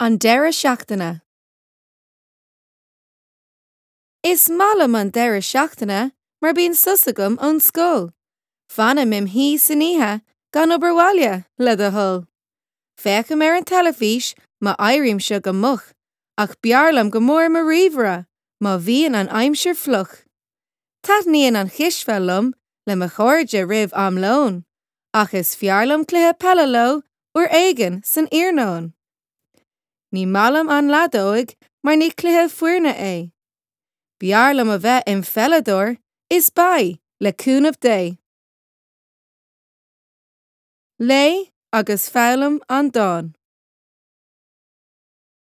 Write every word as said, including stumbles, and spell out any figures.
An deireadh seachtaine. Is maith liom an deireadh seachtaine mar bíonn sos agam ón scoil. Fanaim im shuí san oíche gan obair bhaile, le do thoil. Féachaim ar an teilifís má éirímse go moch, ach b'fhearr liom go mór mo ríomhaire má bhíonn an aimsir fliuch. Taitníonn an chispheil liom le mo chairde roimh am lóin, ach is fearr liom cluiche peile leo uair éigin san iarnóin. Ní maith liom an leadóg mar ní cluiche foirne é. B'fhearr liom a bheith im pheileadóir is beidh le cúnamh Dé. Léigh agus foghlaim an dán.